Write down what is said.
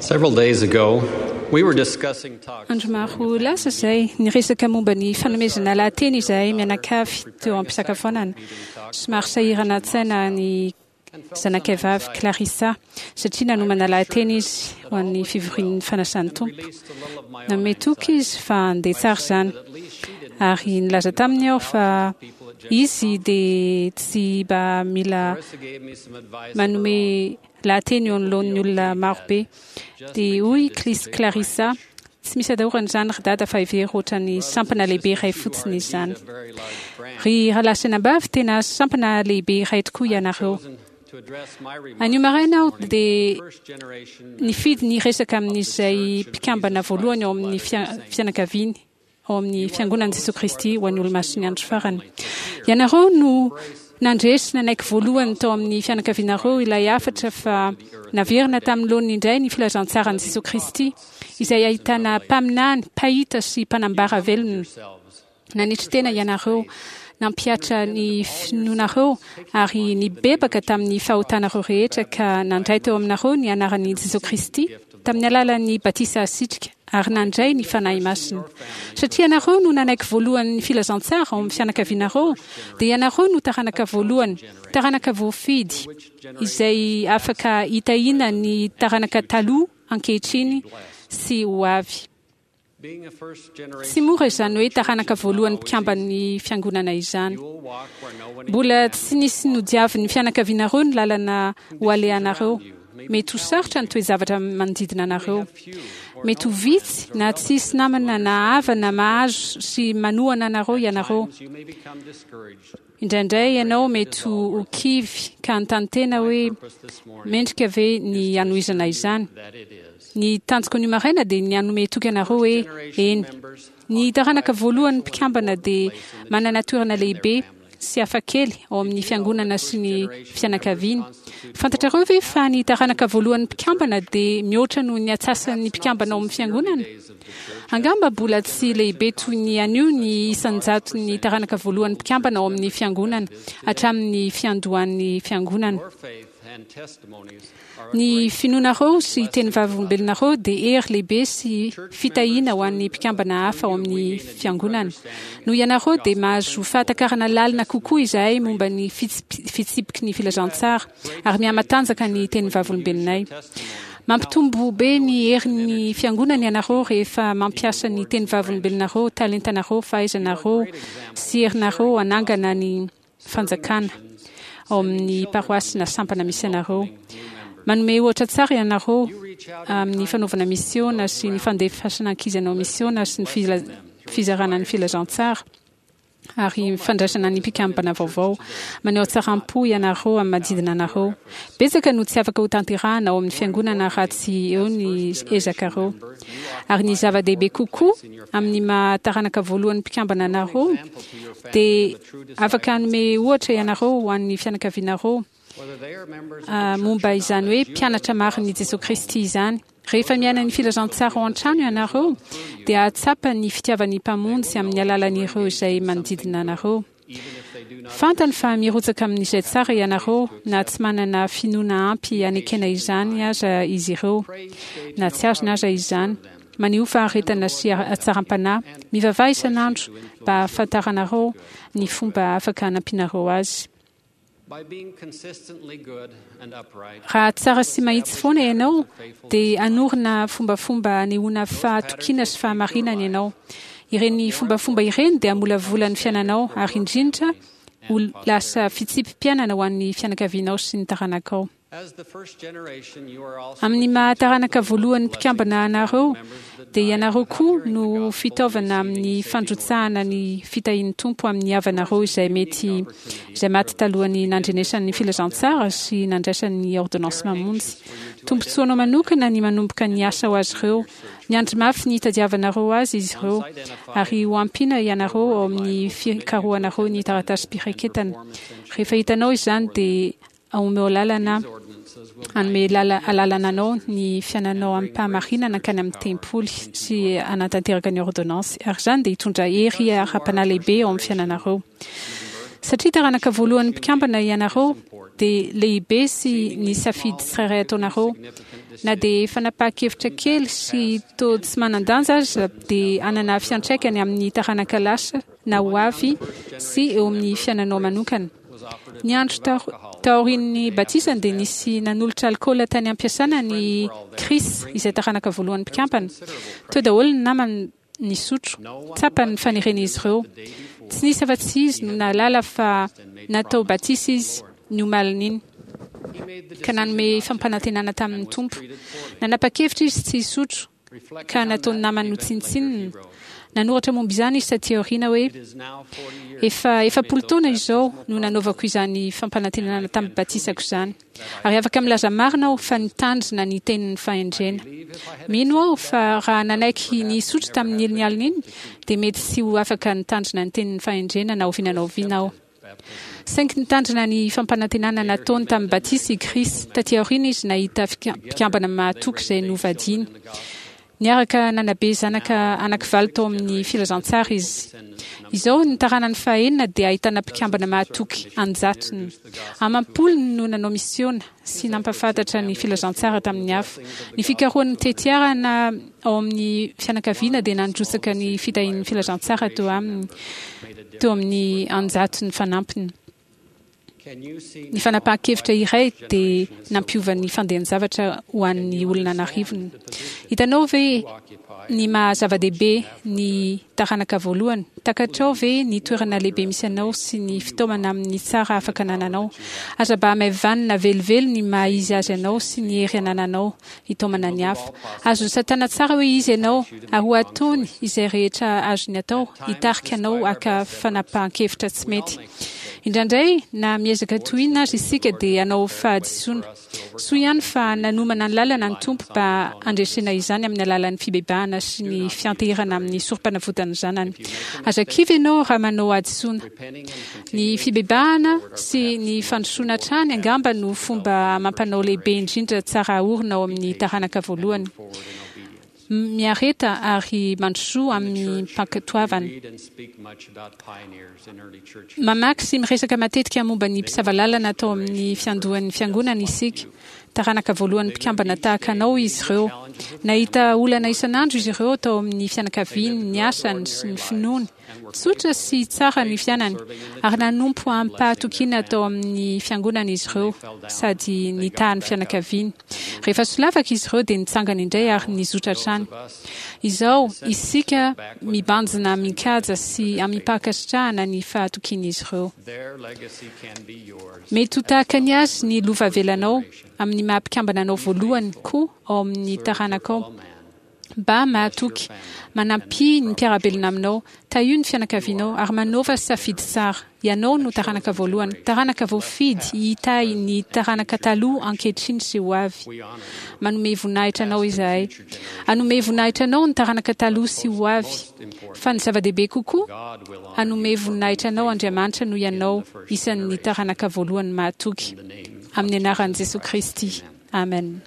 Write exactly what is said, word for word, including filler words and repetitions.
Several days ago, we were discussing talks. Andro maro lasa izay, niresaka momba ny fanomezana lahateny izahay mianakavy teo am-pisakafoanana. Somary sahirana an-tsaina ny zanakay vavy Clarissa satria nanomana lahateny izy ho an'ny fivorian'ny fanasan'ny Tompo. Nanome toky izy fa handeha tsara izany. Ary nilaza taminy aho fa izy dia tsy mba mila manome lahateny eo anoloan'ny olona marobe. Dia hoy Clarissa, tsy misy atahorana izany ry dada fa hevero ohatran'ny sampana lehibe iray fotsiny izany. Ry rahalahy sy anabavy, tena sampana lehibe iray tokoa ianareo. Anio maraina aho dia nifidy ny hiresaka amin'izay mpikambana voalohany ao amin'ny fianakaviany ao amin'ny Fiangonan'i Jesoa Kristy ho an'ny Olomasin'ny Andro Farany. Ianareo no nandre sy nanaiky voalohany tao amin'ny fianakavianareo ilay hafatra fa naverina tamin'ny laoniny indray ny filazantsaran'i Jesoa Kristy, izay ahitana mpaminany, mpahita sy mpanambara velona. Nanetry tena ianareo, nampihatra ny finoanareo ary nibebaka tamin'ny fahotanareo rehetra ka nandray teo aminareo ny anaran'i Jesoa Kristy tamin'ny alalan'ny batisa asitrika ary nandray ny Fanahy Masina. Satria ianareo no nanaiky voalohany ny filazantsara ao amin'ny fianakavianareo, dia ianareo no taranaka voalohany, taranaka voafidy, izay afaka hitahiana ny taranaka taloha, ankehitriny sy ho avy. Tsy mora izany hoe taranaka voalohany mpikamban'ny Fiangonana izany. Mbola tsy nisy nodiavin'ny fianakavianareo ny lalana ho alehanareo. Mety ho sarotra ny toe-javatra manodidina anareo. Mety ho vitsy na tsy hisy namana na havana mahazo sy manohana anareo ianareo. Indraindray ianao mety ho kivy ka hanontany tena hoe, 'Mendrika ve ny hanohizana izany? Ny tanjoko anio maraina dia ny hanome toky anareo hoe eny. Ny taranaka voalohan'ny mpikambana dia manana toerana lehibe sy hafakely ao amin'ny fiangonana sy ny fianakaviany. Fantatrareo ve fa ny taranaka voalohan'ny mpikambana dia mihoatra noho ny atsasan'ny mpikambana ao amin'ny fiangonana? Angamba mbola tsy lehibe toy ny anio ny isan-jaton'ny taranaka voalohan'ny mpikambana ao amin'ny Fiangonana hatramin'ny fiandohan'ny Fiangonana. Ny finoanareo sy teny vavolombelonareo dia hery lehibe sy fitahiana ho an'ny mpikambana hafa ao amin'ny Fiangonana. Noho ianareo dia mahazo fahatakarana lalina kokoa izahay momba ny fitsipiky ny filazantsara ary mihamatanjaka ny teny vavolombelonay. Mampitombo be ny herin'ny Fiangonana ianareo rehefa mampiasa ny teny vavolombelonareo, talentanareo, fahaizanareo sy herinareo hanangana ny fanjakana ao amin'ny paroasy na sampana misy anareo. Manome ohatra tsara ianareo amin'ny fanaovana misiona sy ny fandefasana ankizy hanao misiona sy ny fizarana ny filazantsara. ary fandraisana ny mpikambana vaovao. Maneho hatsaram-po ianareo amin'ny manodidina anareo. Betsaka no tsy afaka hotanterahana ao amin'ny fiangonana raha tsy eo ny ezakareo. Ary ny zava-dehibe kokoa, amin'ny maha taranaka voalohan'ny mpikambana anareo, dia afaka hanome ohatra ianareo ho an'ny fianakavianareo momba izany hoe mpianatra marin'i Jesoa Kristy izany. Rehefa miaina ny filazantsara ao an-trano ianareo, dia hahatsapa ny fitiavan'ny Mpamonjy amin'ny alalan'ireo izay manodidina anareo. Fantany fa mirotsaka amin'izay tsara ianareo na tsy manana finoana ampy hanekena izany aza izy ireo, na tsy azony aza izany. Manehoa faharetana sy hatsaram-panahy. Mivavaha isan'andro mba hahafantaranareo ny fomba afaka hanampianareo azy. Raha tsara sy mahitsy foana ianao, dia hanorina fombafomba hanehoana fahatokiana sy fahamarinana ianao. Ireny fombafomba ireny dia hamolavola ny fiainanao ary indrindra ho lasa fitsipi-piainana ho an'ny fianakavianao sy ny taranakao. Amin'ny maha taranaka voalohan'ny mpikambana anareo, dia ianareo koa no fitaovana amin'ny fandrotsahana ny fitahian'ny Tompo amin'ny havanareo izay mety izay maty talohan'ny nandrenesany ny filazantsara sy nandraisany ny ôrdônansy mamonjy. Tombontsoanao manokana ny manomboka ny asa ho azy ireo. Miandry mafy ny hitadiavanareo azy izy ireo, ary ho ampiana ianareo ao amin'ny fikarohanareo ny taratasim-piraketana. Rehefa hitanao izany dia Omeo lalana hanome alalana anao ny fiainanao amim-pahamarinana hankany amin'ny tempoly sy hanatanteraka ny ôrdônansy, ary izany dia hitondra hery ara-panahy lehibe ao amin'ny fiainanareo. Satria taranaka voalohan'ny mpikambana ianareo, dia lehibe sy ny safidy tsirairay ataonareo. Na dia fanapahan-kevitra kely sy toa tsy manan-danja aza dia hanana fiantraikany amin'ny taranaka lasa na ho avy sy eo amin'ny fiainanao manokana. Ny andro taorian'ny batisany dia nisy nanolotra alkaola tany am-piasana ny Chris, izay taranaka voalohan'ny mpikambana. Teo daholo ny namany nisotro, tsapany ny fanirian'izy ireo. Tsy nisy afa-tsy izy no nahalala fa natao batisa izy ny omalin'iny, ka nanome fampanantenana tamin'ny Tompo. Nanapa-kevitra izy tsy hisotro, ka nataony namany ho tsinontsinona. Nanoratra momba izany izy taty aoriana hoe: efa efapolo taona izao no nanaovako izany fampanantenana tamin'ny batisako izany, ary afaka milaza marina aho fa nitandrina ny tenin'ny fahendrena. Mino aho fa raha nanaiky ny hisotro tamin'ny iny alina iny, dia mety tsy ho afaka nitandrina ny tenin'ny fahendrena na oviana na oviana aho. Saingy nitandrina ny fampanantenana nataony tamin'ny batisa i Chris. Taty aoriana izy nahita mpikambana mahatoky izay novadiany. Niaraka nanabe zanaka anankivalo tao amin'ny filazantsara izy. Izao ny taranany fahenina dia ahitana mpikambana mahatoky anjatony. Amam-polony no nanao misiona sy nampahafantatra ny filazantsara tamin'ny hafa. Ny fikarohan'ny tetiarana ao amin'ny fianakaviana dia nandrotsaka ny fitahian'ny filazantsara teo aminy, teo amin'ny anjatony fanampiny. Ny fanapahan-kevitra iray dia nampiova ny fandehan-javatra ho an'ny olona an'arivony. Hitanao ve ny maha zava-dehibe ny taranaka voalohany? Takatrao ve ny toerana lehibe misy anao sy ny fitaomana amin'ny tsara afaka anananao? Aza mba hamaivanina velively ny maha izy azy anao sy ny hery anananao hitaomana ny hafa. Azon'ny Satana tsara hoe izy ianao, ary ho ataony izay rehetra azony atao hitarika anao haka fanapahan-kevitra tsy mety. Indraindray, na miezaka toy inona aza isika dia hanao fahadisoana. Soa ihany fa nanomana ny lalana ny Tompo mba handresena izany amin'ny alalan'ny fibebahana sy ny fianteherana amin'ny sorom-panavotan'ny Zanany. Aza kivy ianao raha manao hadisoana. Ny fibebahana sy ny fandrosoana hatrany angamba no fomba amam-panao lehibe indrindra tsara aorina ao amin'ny taranaka voalohany. Miareta ary mandrosoa amin'ny mpankatoavana. Mamaky sy miresaka matetika momba ny mpisava lalana tao amin'ny fiandohan'ny fiangonana isika. Taranaka voalohany mpikambana tahaka anao izy ireo. Nahita olana isan'andro izy ireo tao amin'ny fianakaviany, ny asany sy ny finoany. Tsotra sy tsara ny fiainany, ary nanompo amim-pahatokiana tao amin'ny fiangonana izy ireo sady nitaha ny fianakaviany. Rehefa solafaka izy ireo dia nitsangana indray ary nizotra hatrany. Izao isika mibanjina amin-kaja sy amim-pankasitrahana ny fahatokian'izy ireo. Mety ho tahaka ny azy ny lova avelanao amin'ny maha mpikambana anao voalohany koa ao amin'ny taranakao. Mba mahatoky, manampia ny mpiara-belona aminao, tahio ny fianakavianao ary manaova safidy tsara. Ianao no taranaka voalohany, taranaka voafidy hitahy ny taranaka taloha, ankehitriny sy ho avy. Manome voninahitra anao izahay. Hanome voninahitra anao ny taranaka taloha sy ho avy. Fa ny zava-dehibe kokoa, hanome voninahitra anao Andriamanitra noho ianao isan'ny taranaka voalohany mahatoky. Amin'ny anaran'i Jesoa Kristy. Amen.